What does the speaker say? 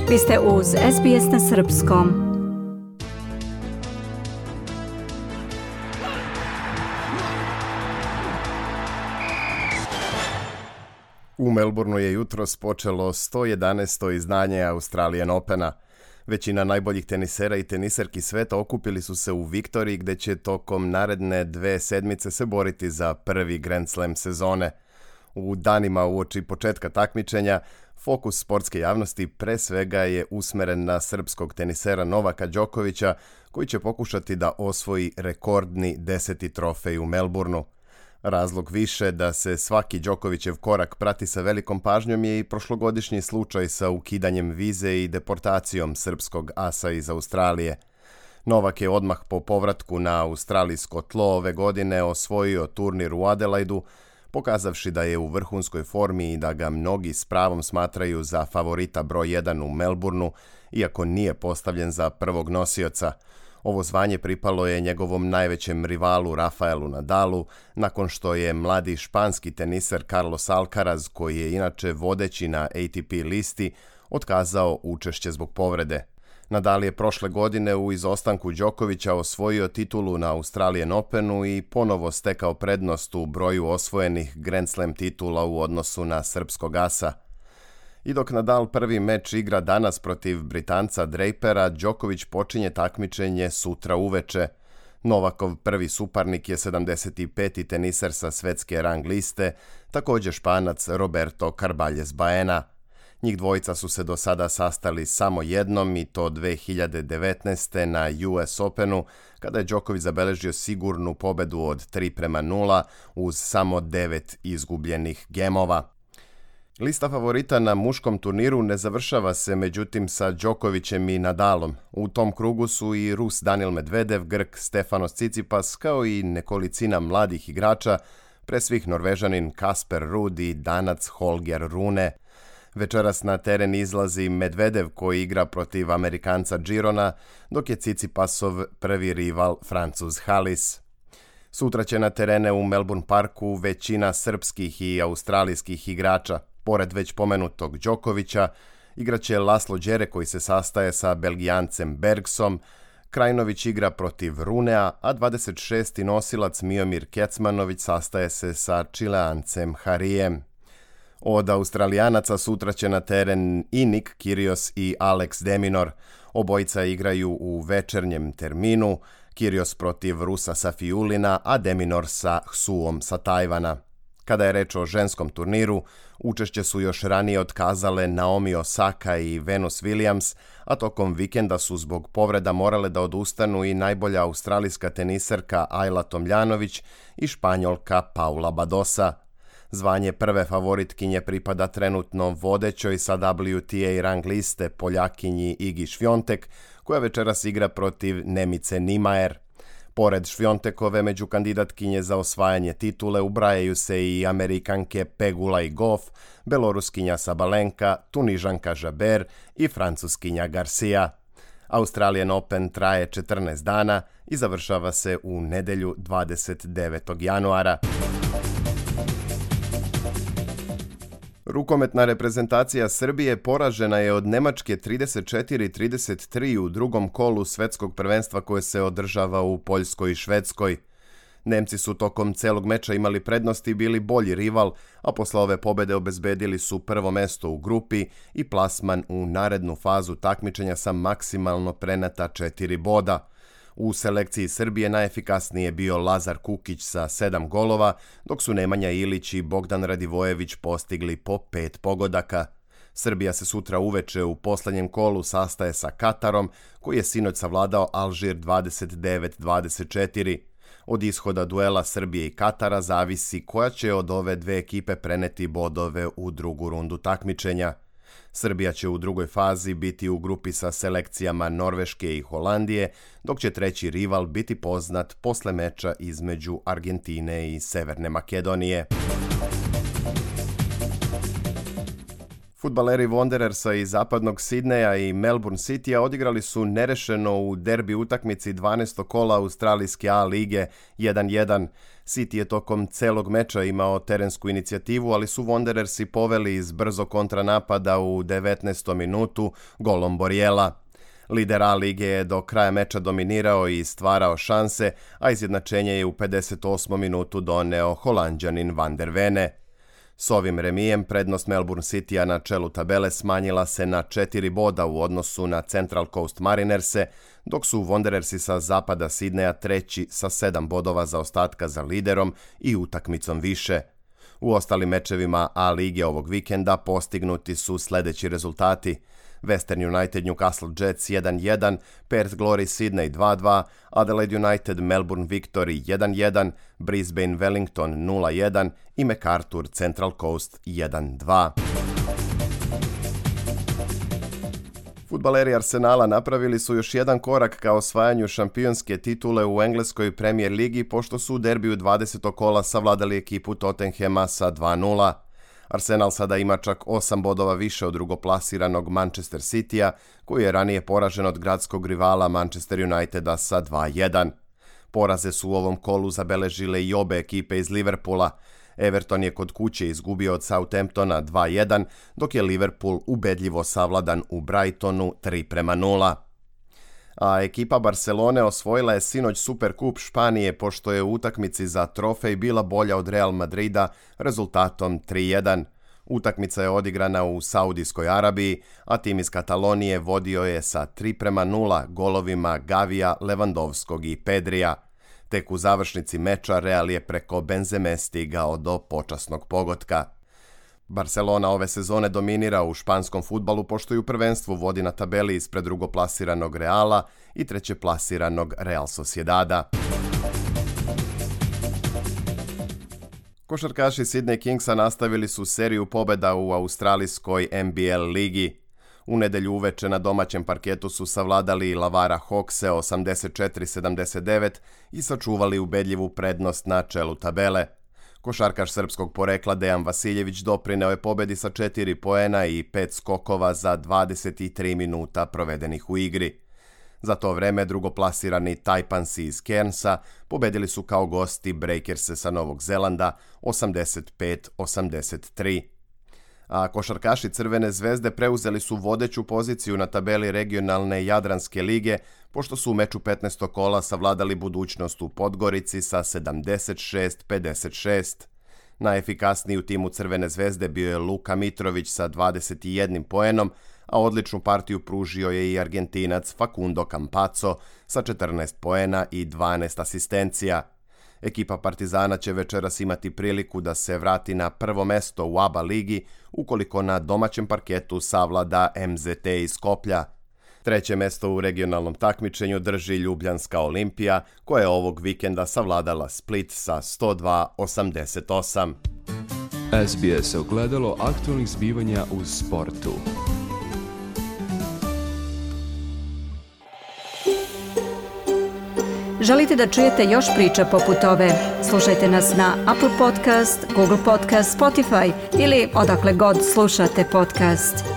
Vi ste uz SBS na srpskom. U Melbourneu je jutros počelo 111. izdanje Australian Opena. Većina najboljih tenisera i teniserki sveta okupili su se u Viktoriji, gdje će tokom naredne 2 sedmice se boriti za prvi Grand Slam sezone. U danima uoči početka takmičenja, fokus sportske javnosti pre svega je usmeren na srpskog tenisera Novaka Đokovića, koji će pokušati da osvoji rekordni 10. trofej u Melbourneu. Razlog više da se svaki Đokovićev korak prati sa velikom pažnjom je i prošlogodišnji slučaj sa ukidanjem vize i deportacijom srpskog asa iz Australije. Novak je odmah po povratku na australijsko tlo ove godine osvojio turnir u Adelaidu, pokazavši da je u vrhunskoj formi i da ga mnogi s pravom smatraju za favorita broj 1 u Melbourneu, iako nije postavljen za prvog nosioca. Ovo zvanje pripalo je njegovom najvećem rivalu Rafaelu Nadalu, nakon što je mladi španski teniser Carlos Alcaraz, koji je inače vodeći na ATP listi, otkazao učešće zbog povrede. Nadal je prošle godine u izostanku Đokovića osvojio titulu na Australian Openu i ponovo stekao prednost u broju osvojenih Grand Slam titula u odnosu na srpskog asa. I dok Nadal prvi meč igra danas protiv Britanca Drapera, Đoković počinje takmičenje sutra uveče. Novakov prvi suparnik je 75. teniser sa svetske rang liste, također Španac Roberto Carballes Baena. Njih dvojica su se do sada sastali samo jednom, i to 2019. na US Openu, kada je Đoković zabeležio sigurnu pobedu od 3:0 uz samo 9 izgubljenih gemova. Lista favorita na muškom turniru ne završava se međutim sa Đokovićem i Nadalom. U tom krugu su i Rus Daniil Medvedev, Grk Stefanos Tsitsipas, kao i nekolicina mladih igrača, pre svih Norvežanin Kasper Ruud i Danac Holger Rune. Večeras na teren izlazi Medvedev, koji igra protiv Amerikanca Girona, dok je Tsitsipasov prvi rival Francuz Halis. Sutra će na terene u Melbourne Parku većina srpskih i australijskih igrača. Pored već pomenutog Đokovića, igraće Laslo Đere, koji se sastaje sa Belgijancem Bergsom, Krajinović igra protiv Runea, a 26. nosilac Miomir Kecmanović sastaje se sa Čileancem Harijem. Od Australijanaca sutra će na teren i Nick Kyrgios i Alex de Minaur. Obojica igraju u večernjem terminu, Kyrgios protiv Rusa Safiulina, a de Minaur sa Hsuom sa Tajvana. Kada je reč o ženskom turniru, učešće su još ranije otkazale Naomi Osaka i Venus Williams, a tokom vikenda su zbog povreda morale da odustanu i najbolja australijska teniserka Ajla Tomljanović i Španjolka Paula Badosa. Zvanje prve favoritkinje pripada trenutno vodećoj sa WTA rang liste Poljakinji Igi Świątek, koja večeras igra protiv Nemice Niemayer. Pored Švjontekove, među kandidatkinje za osvajanje titule ubrajaju se i Amerikanke Pegula i Goff, Beloruskinja Sabalenka, Tunižanka Žaber i Francuskinja Garcia. Australian Open traje 14 dana i završava se u nedelju 29. januara. Rukometna reprezentacija Srbije poražena je od Nemačke 34-33 u drugom kolu svetskog prvenstva koje se održava u Poljskoj i Švedskoj. Nemci su tokom celog meča imali prednost i bili bolji rival, a posle ove pobede obezbedili su prvo mesto u grupi i plasman u narednu fazu takmičenja sa maksimalno preneta 4 boda. U selekciji Srbije najefikasniji je bio Lazar Kukić sa 7 golova, dok su Nemanja Ilić i Bogdan Radivojević postigli po 5 pogodaka. Srbija se sutra uveče u poslednjem kolu sastaje sa Katarom, koji je sinoć savladao Alžir 29-24. Od ishoda duela Srbije i Katara zavisi koja će od ove dve ekipe preneti bodove u drugu rundu takmičenja. Srbija će u drugoj fazi biti u grupi sa selekcijama Norveške i Holandije, dok će treći rival biti poznat posle meča između Argentine i Severne Makedonije. Fudbaleri Wanderersa iz zapadnog Sidneja i Melbourne Citya odigrali su nerešeno u derbi utakmici 12. kola australijske A lige 1-1. City je tokom celog meča imao terensku inicijativu, ali su Wanderersi poveli iz brzo kontranapada u 19. minutu golom Borjela. Lider A lige je do kraja meča dominirao i stvarao šanse, a izjednačenje je u 58. minutu doneo Holanđanin Van der Vene. S ovim remijem prednost Melbourne Citya na čelu tabele smanjila se na 4 boda u odnosu na Central Coast Marinerse, dok su Wanderersi sa zapada Sidneja treći sa 7 bodova zaostatka za liderom i utakmicom više. U ostalim mečevima A lige ovog vikenda postignuti su sledeći rezultati: Western United Newcastle Jets 1-1, Perth Glory Sydney 2-2, Adelaide United Melbourne Victory 1-1, Brisbane Wellington 0-1 i MacArthur Central Coast 1-2. Fudbaleri Arsenala napravili su još jedan korak ka osvajanju šampionske titule u engleskoj Premier ligi, pošto su u derbiju 20. kola savladali ekipu Tottenhama sa 2-0. Arsenal sada ima čak 8 bodova više od drugoplasiranog Manchester Citya, koji je ranije poražen od gradskog rivala Manchester Uniteda sa 2-1. Poraze su u ovom kolu zabeležile i obe ekipe iz Liverpoola. Everton je kod kuće izgubio od Southamptona 2-1, dok je Liverpool ubedljivo savladan u Brightonu 3-0. A ekipa Barcelone osvojila je sinoć Superkup Španije, pošto je u utakmici za trofej bila bolja od Real Madrida rezultatom 3-1. Utakmica je odigrana u Saudijskoj Arabiji, a tim iz Katalonije vodio je sa 3-0 golovima Gavija, Lewandowskog i Pedrija. Tek u završnici meča Real je preko Benzeme stigao do počasnog pogotka. Barcelona ove sezone dominira u španskom fudbalu, pošto ju prvenstvu vodi na tabeli ispred drugoplasiranog Reala i trećeplasiranog Real Sociedada. Košarkaši Sydney Kingsa nastavili su seriju pobjeda u australijskoj NBL ligi. U nedelju uveče na domaćem parketu su savladali Lavara Hawkse 84-79 i sačuvali ubedljivu prednost na čelu tabele. Košarkaš srpskog porekla Dejan Vasiljević doprineo je pobedi sa 4 poena i 5 skokova za 23 minuta provedenih u igri. Za to vreme drugoplasirani Taipansi iz Cairnsa pobedili su kao gosti Breakerse sa Novog Zelanda 85-83. A košarkaši Crvene zvezde preuzeli su vodeću poziciju na tabeli regionalne Jadranske lige, pošto su u meču 15. kola savladali Budućnost u Podgorici sa 76-56. Najefikasniji u timu Crvene zvezde bio je Luka Mitrović sa 21 poenom, a odličnu partiju pružio je i Argentinac Facundo Campazzo sa 14 poena i 12 asistencija. Ekipa Partizana će večeras imati priliku da se vrati na prvo mesto u ABA ligi ukoliko na domaćem parketu savlada MZT iz Skoplja. Treće mesto u regionalnom takmičenju drži Ljubljanska Olimpija, koja je ovog vikenda savladala Split sa 102-88. SBS ogledalo aktualnih zbivanja u sportu. Želite da čujete još priča poput ove? Slušajte nas na Apple Podcast, Google Podcast, Spotify ili odakle god slušate podcast.